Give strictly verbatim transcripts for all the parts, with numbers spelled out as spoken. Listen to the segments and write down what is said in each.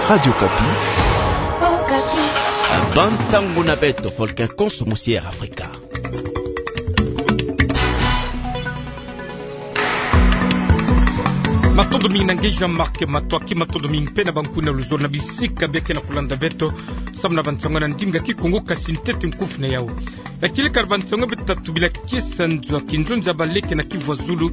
Radio Okapi. Bansango na beto, Volcan Konso, musi Air Afrika. Matondo mingi na nge Jean-Marc Matsoaki, matondo mingi mpe na bankuna luzolo na bisika bia ke na kulanda beto, samu na bansango na ndinga Kikongo, kasi ntete nkufi na yau. Ya kileka na bansango beto ta tubila kiese nzo ya kinzonzi ya bala ke na Kivu ya Zulu,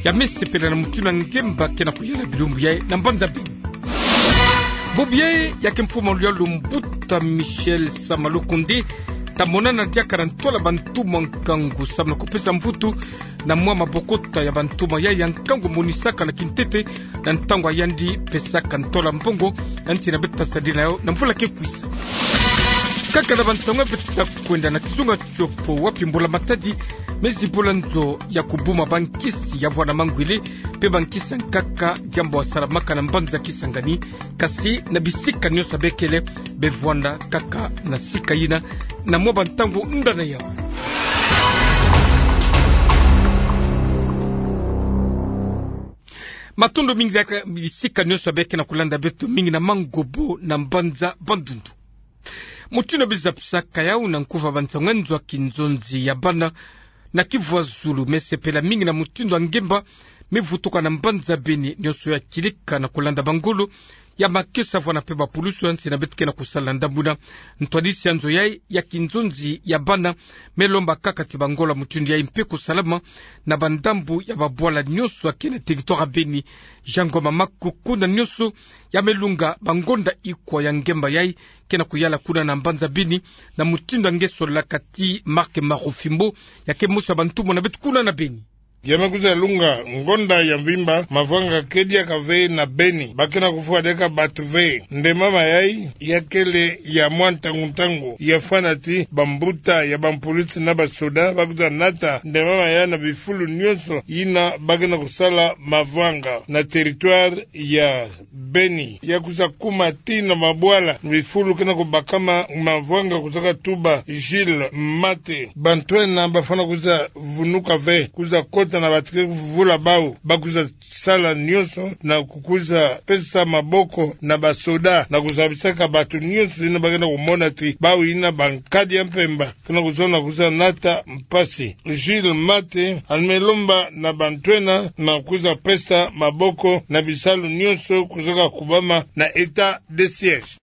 ya me sepela na mutindu ya ngemba ke na kuyala bilumbu yayi na mbanza Beni. Bubu yayi ya ke mfumu maluyalu mbuta Michel Sama Lukundi ta monana diaka na ntwala bantuma nkangu samu na kupesa mvutu na mwa mabokota ya bantuma yayi ya nkangu monisaka na kintete na ntangu ya yandi pesaka ntwala mbongo, ya nsi na beto ta sadila na yau na mvula ke kwiza. Kaka na bansango beto ta kwenda na kizunga tiopo, wapi mbula-matadi me zibula nzo ya kubuma bankisi ya vwanda mangwele mpe bankisi ya nkaka, diambu ya salamaka na mbanza Kisangani, kasi na bisika nionso ya bekele be vwanda kaka na sika yina, na mwa bantangu nda na yau. Matondo mingi diaka bisika nionso ya beke na kulanda beto, mingi na Mangobo na mbanza Bandundu. Mutindu bizapisaka yau na nkufi ya bansango, nzo ya kinzonzi ya bana na Kivu ya Zulu me sepela mingi na mutindu ya ngemba me vutuka na mbanza Beni, nionso ya kilika na kulanda bangolo ya makesa vwanda mpe bapulusu, ya nsi na beto ke na kusala na ndambu yina. Ntwadisi ya nzo yayi ya kinzonzi ya bana me lomba kaka ti bangolo ya mutindu yayi mpe kusalama na bandambu ya babwala nionso ya ke na territoire ya Beni. Jean Ngoma Maku, kuna nionso ya me lunga bangonda ikwa ya ngemba yayi ke na kuyala kuna na mbanza Beni, na mutindu ya nge solaka ti Marc Marufimbo, ya ke mosi ya bantumwa na beto kuna na Beni. Ya me kwiza lunga ngonda ya mvimba, mavanga ke diaka ve na Beni, ba ke na kufwa diaka bato ve. Ndemama yayi ya kele ya mwa ntangu-ntangu, ya fwana ti bambuta ya bampulusu na basoda ba kwiza nata ndemama yayi na bifulu nionso yina ba ke na kusala mavanga na territoire ya Beni. Ya kwiza kuma tii na mabwala, bifulu ke na kubakama, mavanga kwizaka tuba Gilles Mate. Bantu ena bafwana kwiza vunuka ve, kwiza kota na bato ke kuvula bau, ba kwiza sala nionso na kukwiza pesa maboko na basoda, na kuzabisaka bato nionso yina ba ke na kumona ti bau yina bankadi ya mpemba, ke na kuzona kwiza nata mpasi. Gilles Mate, yandi me lomba na bantu ena na kwiza pesa maboko na bisalu nionso kwizaka kubama na état de siège.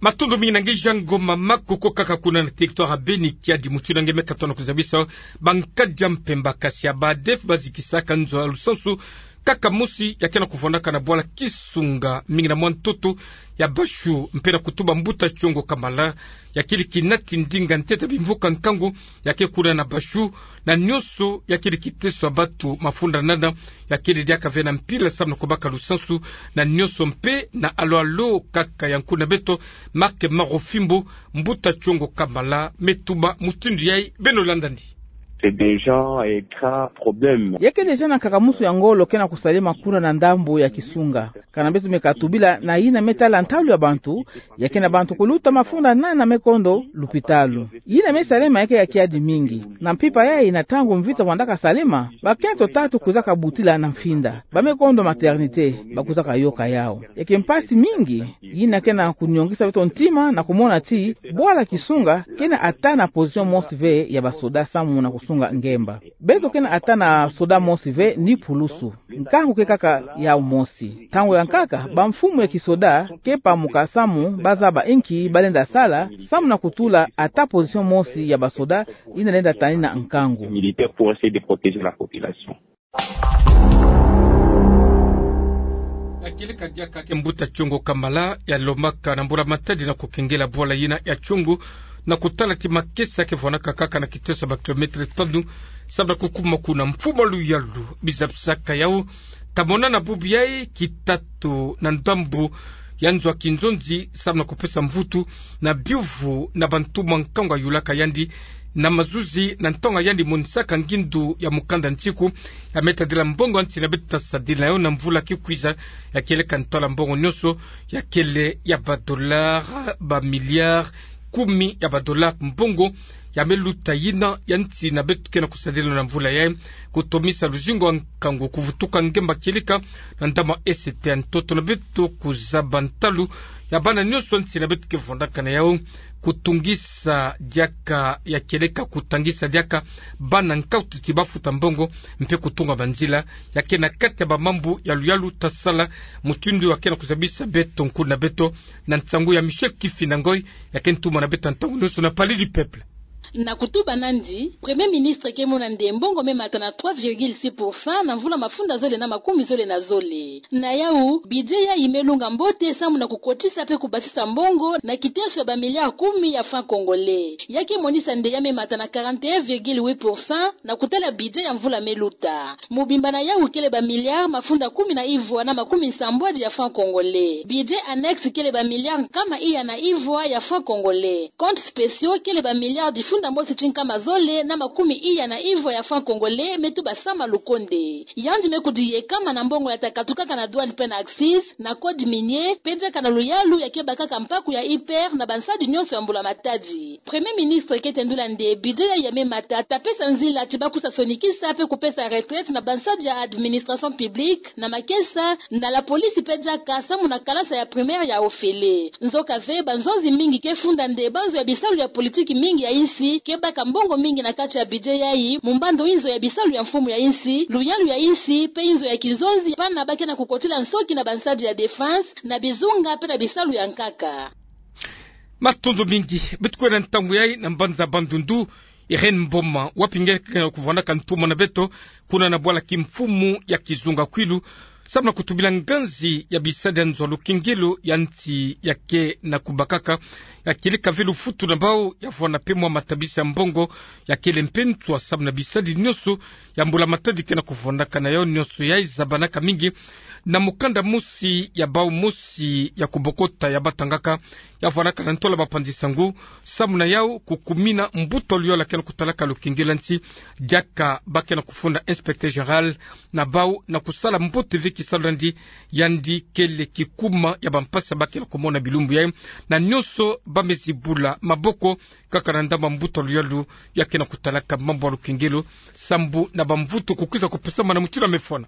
Matondo mingi na nge Jean Ngoma Maku. Kaka kuna na territoire ya Beni, kiadi mutindu ya nge me katuka na kuzabisa, bankadi ya mpemba, kasi ya ba ADF, bazikisaka nzo ya lusansu kaka mosi ya ke na kuvwandaka na bwala Kisunga, mingi na mwa ntoto ya Bashu, mpe na kutuba mbuta Tchongo Kamala, ya kele kina kindinga ntete bimvuka nkangu ya ke kuna na Bashu, na nionso ya kele kiteso ya bato mafunda nana, ya kele diaka ve na mpila samu na kubaka lusansu na nionso mpe na alo-alo. Kaka ya nkuna beto Marc Marufimbo, mbuta Tchongo Kamala me tuba mutindu yayi. Beno landandi. C'est déjà un grand problème. Ya ke déjà na nkaka mosi ya ngolo ke na kusalema kuna na ndambu ya Kisunga. Kana beto me katubila na yina me tala ntalu ya bantu, ya ke na bantu kuluta mafunda nana me kondo lupitalu. Yina me salema ya ke ya kiadi mingi. Na mpimpa yayi, na ntangu mvita vwandaka salema, bakento tatu kwizaka butila na mfinda. Ba me kondo maternité, ba kwizaka yoka yau. Ya ke mpasi mingi, yina ke na kuniongisa beto ntima na kumona ti bwala Kisunga ke na ata na position mosi ve ya basoda samu na kusunga ngemba. Beto ke na ata na soda mosi ve ni pulusu. Nkangu ke kaka yau mosi. Ntangu ya nkaka, bamfumu ya kisoda ke pamuka samu ba zaba inki ba lenda sala, samu na kutula ata position mosi ya basoda yina lenda tanina nkangu. Militaire pour essayer de protéger la population. Ya kele kadiaka ke mbuta Tchongo Kamala, ya lombaka na mbula-matadi na kukengela bwala yina ya Tchongo, na kutala ti makesa ke vwanaka kaka na kiteso ya ba kilomètre tanu, samu na kukuma kuna. Mfumu Luyalu, bizapisaka yau, ta mona na bubu yayi kitatu na ndambu ya nzo ya kinzonzi, samu na kupesa mvutu na biuvu na bantumwa nkangu yulaka yandi na mazuzi, na ntangu yandi monisaka ngindu ya mukanda nsiku, ya me tadila mbongo ya nsi na beto ta sadila na yo na mvula ke kwiza, ya kieleka ntwala mbongo nionso, ya kele ya ba dollars, ba milliards kumi ya ba dollars mbongo, ya meluta yina ya nsi na beto ke na kusadila na mvula yayi, kutomisa luzingu ya nkangu, kuvutuka ngemba kieleka na ndambu ya ese te ya ntoto na beto, kuzaba ntalu ya bana nyonso ya nsi na beto ke vwandaka na yawu, kutungisa diaka ya kieleka, kutangisa diaka bana nkauti ti bafuta mbongo, mpe kutunga banzila. Ya ke na kati ya bamambu ya luyalu ta sala mutindu ya ke na kuzabisa beto, nkulu na beto, na nsangu ya Michel Kifinda Ngoy, ya ke ntuma na beto ntangu nyonso na Palais du Peuple. Na kutuba nandi, Premier Ministre ke mona nde mbongo me mata na trois virgule six pour cent na mvula mafunda zole na makumi zole na zole. Na yawu, budget yayi me lunga mbote samu na kukotisa mpe kubasisa mbongo na kiteso ya ba milliards kumi ya francs congolais. Ya ke monisa nde ya me mata na quarante et un virgule huit pour cent na kutala budget ya mvula me luta. Mobimba na yawu kele ba milliards mafunda kumi na ivwa na makumi nsambwadi ya francs congolais. Budget annexe kele ba milliards nkama iya na ivwa ya francs congolais. Comptes spéciaux kele ba milliards difunda mosi ti nkama zole na makumi iya na ivwa ya francs congolais me tuba Sama Lukonde. Yandi me kudiyekama na mbongo ya ta katukaka na douane mpe na accises, na code minier, mpe diaka na luyalu ya ke bakaka mpaku ya IPR na bansadi nyonso ya mbula matadi. Premier Ministre ke tendula nde budget yayi ya me mata ta pesa nzila ti bakusa sonikisa mpe kupesa retraite na bansadi ya administration publique, na makesa, na la police mpe diaka samu na kalasa ya primaire ya ofele. Nzoka ve, banzonzi mingi ke funda nde banzo ya bisalu ya politique mingi ya insi ke baka mbongo mingi na kati ya budget yayi, mu mbandu inzo ya bisalu ya mfumu ya insi, luyalu ya insi, mpe inzo ya kinzonzi, bana ba ke na kukotila nsoki na bansadi ya défense, na bizunga, mpe na bisalu ya nkaka. Matondo mingi. Beto kwenda ntangu yayi na mbanza Bandundu, Irène Mboma, wapi nge ke na kuvwandaka ntuma na beto, kuna na bwala kimfumu ya Kizunga Kwilu, samu na kutubila nganzi ya bisadi ya nzo ya lukengelo ya nsi ya ke na kubakaka, ya kieleka ve lufutu na bawu, ya vwanda mpe mwa matabisi ya mbongo, ya kele mpe nswa samu na bisadi nyonso ya mbula matadi ke na kuvwandaka na yawu. Nyonso yayi zabanaka mingi na mukanda mosi ya bawu mosi ya kubokota ya batangaka, ya vwandaka na ntola bapanzi sango, samu na yawu kukumina mbuta luyalu ya ke na kutalaka lukengelo ya nsi, diaka ba ke na kufunda inspecteur général na bawu na kusala mbote ve kisalu na yandi. Yandi kele kikuma ya bampasi ba ke na kumona bilumbu yayi, na nyonso ba me zibula maboko, kaka na ndambu ya mbuta luyalu ya ke na kutalaka mambu ya lukengelo, sambu na bamvutu kukwiza kupesamana mutindu ya me fwana.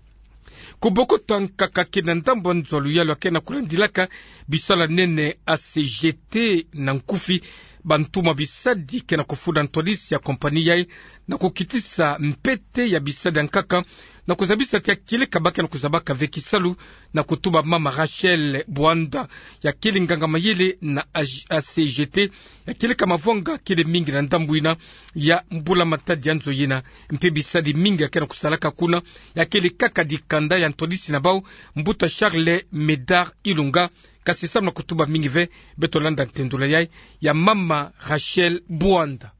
Kubokota nkaka ke na ndambu ya nzo ya luyalu ya ke na kulandilaka bisalu ya nene, A C G T na nkufi, bantuma bisadi ke na kufunda ntwadisi ya compagnie yayi, na kukitisa mpete ya bisadi ya nkaka, na kuzabisa ti ya kieleka ba ke na kuzabaka ve kisalu, na kutuba mama Rachel Bwanda, ya kele nganga mayele na A G, A C G T, ya kieleka mavwanga kele mingi na ndambu yina ya mbula matadi ya nzo yina, mpe bisadi mingi ya ke na kusalaka kuna, ya kele kaka dikanda ya ntwadisi na bawu, mbuta Charles Médard Ilunga, kasi samu na kutuba mingi ve, beto landa ntendula yayi ya mama Rachel Bwanda.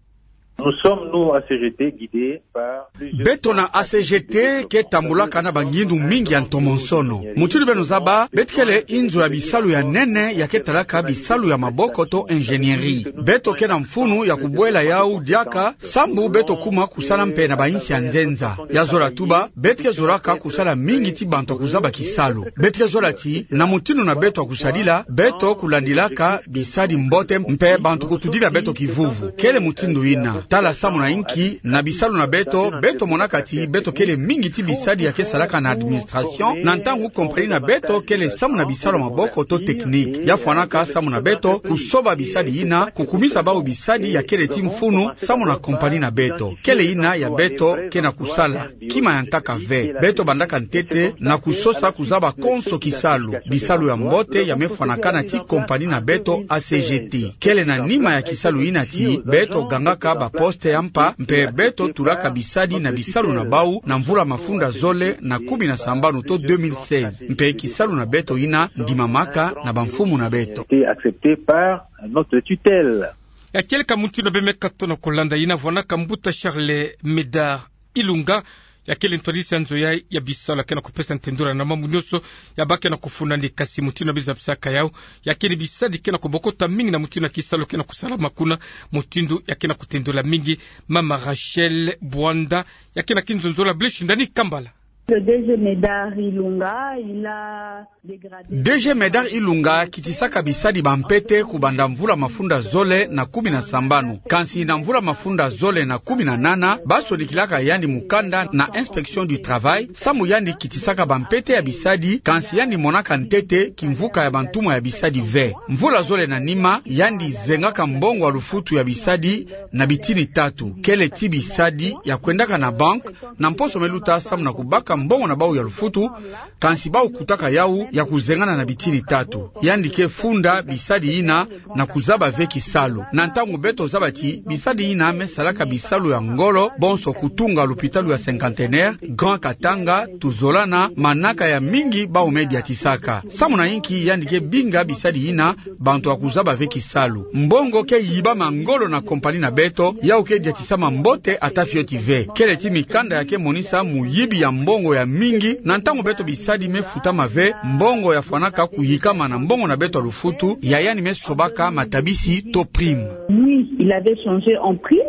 Nous sommes, nous, A C G T, guidés par plusieurs... Beto na A C G T ke tambulaka na bangindu mingi ya ntomonsono. Mutindu beno zaba, beto kele inzo ya bisalu ya nene ya ke talaka bisalu ya maboko to ingénierie. Beto ke na mfunu ya kubwela yawu diaka, sambu beto kuma kusala mpe na bainsi ya nzenza. Ya zola tuba, beto ke zolaka kusala mingi ti bantu ya kuzaba kisalu. Beto ke zola ti, na mutindu na beto ya kusadila, beto kulandilaka bisadi mbote mpe bantu kutudila beto kivuvu. Kele mutindu yina. Tala samu na inki, na bisalu na beto, beto monaka ti beto kele mingi ti bisadi ya ke salaka na administration, na ntangu compagnie na beto kele samu na bisalu ya maboko to technique. Ya fwanaka samu na beto kusoba bisadi yina, kukumisa bawu bisadi ya kele ti mfunu samu na compagnie na beto. Kele yina ya beto ke na kusala. Kima ya nkaka ve. Beto bandaka ntete na kusosa kuzaba konso kisalu, bisalu ya mbote ya me fwanakana ti compagnie na beto A C G T. Kele na nima ya kisalu yina ti beto gangaka baposte ya mpa, mpe beto tulaka bisadi na bisalu na bawu na mvula mafunda zole na kumi na sambanu to deux mille seize. Mpe kisalu na beto yina ndimamaka na bamfumu na beto. Été accepté par notre tutelle. Ya kieleka mutindu beno me katono kulanda, yina vwanaka mbuta Charles Médard Ilunga, ya kele ntwadisi ya nzo yayi ya bisalu, ya ke na kupesa ntendula na mambu nyonso ya ba ke na kufunda, ni kasi mutindu ya bizabisaka yawu, ya kele bisadi ke na kubokota mingi na mutindu ya kisalu ke na kusalama kuna, mutindu ya ke na kutendula mingi mama Rachel Bwanda, ya ke na kinzonzolo ya Blaise Shindani Kambala. Le D G Médard Ilunga, il a dégradé. D G Médard Ilunga akitisaka bisadi ba mpete kubanda mvula mafunda zole na kumi na sambanu. Kansi na mvula mafunda zole na kumi na nana, ba sonikilaka yandi mukanda na Inspection du Travail, samu yandi kitisaka ba mpete ya bisadi, kansi yandi monaka ntete kimvuka ya bantumwa ya bisadi ve. Mvula zole na nima, yandi zengaka mbongo ya lufutu ya bisadi na bitini tatu. Kele ti bisadi ya kwendaka na banque, na mposo me luta samu na kubaka mbongo na bau ya lufutu, kansi bau kutaka yau ya kuzengana na bitini tatu. Yandi ke funda bisadi yina na kuzaba ve kisalu. Na ntangu beto zaba ti bisadi yina me salaka bisalu ya ngolo, bonso kutunga lupitalu ya Cinquantenaire, Grand Katanga, tuzolana, manaka ya mingi bau me diatisaka. Samu na inki yandi ke binga bisadi yina bantu ya kuzaba ve kisalu? Mbongo ke yibama ngolo na compagnie na beto, yau ke diatisama mbote ata fioti ve. Kele ti mikanda ya ke monisa muyibi ya mbongo ya mingi, na ntangu beto bisadi me futama ve, mbongo ya fwanaka kuyikama na mbongo na beto ya lufutu, ya yandi me sobaka matabisi to prime. Oui, il avait changé en prime.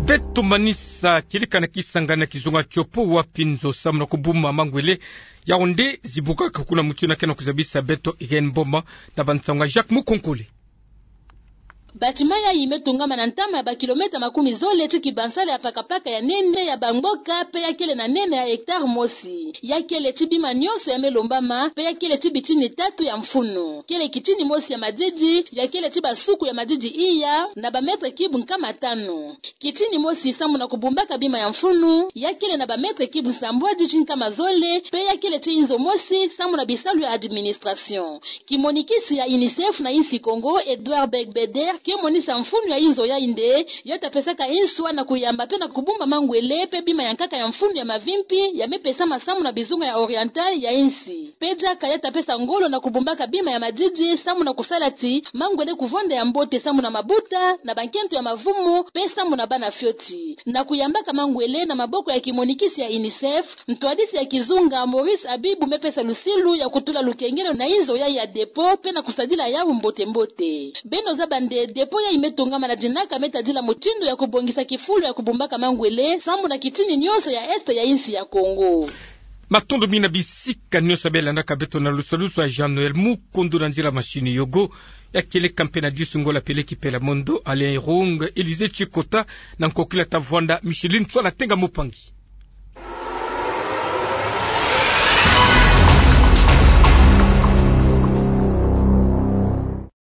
Beto manisa kieleka na kisanga na kizunga tiopo wapi nzo samu na kubuma mangwele, yau nde zibukaka kuna muti na ke na kuzabisa beto Irène Mboma na bansangu ya Jacques Mukonkole. Bâtiment yayi me tongama na ntama ya bakilomètre makumi zole ti kibansala ya pakapaka ya nene ya bamboka, pe ya kele na nene ya hectare mosi. Ya kele ti bima nyonso ya me lombama, pe ya kele ti bitini tatu ya mfunu. Kele kitini mosi ya madidi, ya kele ti basuku ya madidi iya, na ba mètres cubes nkama tanu. Kitini mosi samu na kubumbaka bima ya mfunu, ya kele na ba mètres cubes nsambwadi ti nkama zole, pe ya kele ti inzo mosi samu na bisalu ya administration. Kimonikisi ya UNICEF na insi Kongo, Edouard Beigbeder, ke monisa mfunu ya inzo yayi nde ya ta pesaka inswa na kuyamba pe na kubumba mangwele pe bima ya nkaka ya mfunu ya mavimpi ya me pesama samu na bizunga ya oriental ya insi. Pe diaka ya ta pesa ngolo na kubumbaka bima ya madidi samu na kusala ti mangwele kuvonda ya mbote samu na mabuta, na bankento ya mavumu, pe samu na bana fioti. Na kuyambaka mangwele na maboko ya kimonikisi ya UNICEF, ntwadisi ya kizunga Maurice Abibou me pesa lusilu ya kutula lukengelo na inzo yayi ya dépôt pe na kusadila yau mbote-mbote. Beno zaba nde dépôt yayi me tongama na dinaka me tadila mutindu ya kubongisa kifulu ya kubumbaka mangwele samu na kitini nyonso ya est ya insi ya Kongo. Matondo mingi na bisika nyonso ya beno landaka beto na lusalusu ya Jean Noël Mukundu na nzila machine yoko. Ya kieleka mpe na disu ngolo ya peleki pela mondo, Alain Irung, Élysée Tchikota, na nkokila ta vwanda Micheline Tswala Tenga Mupangi.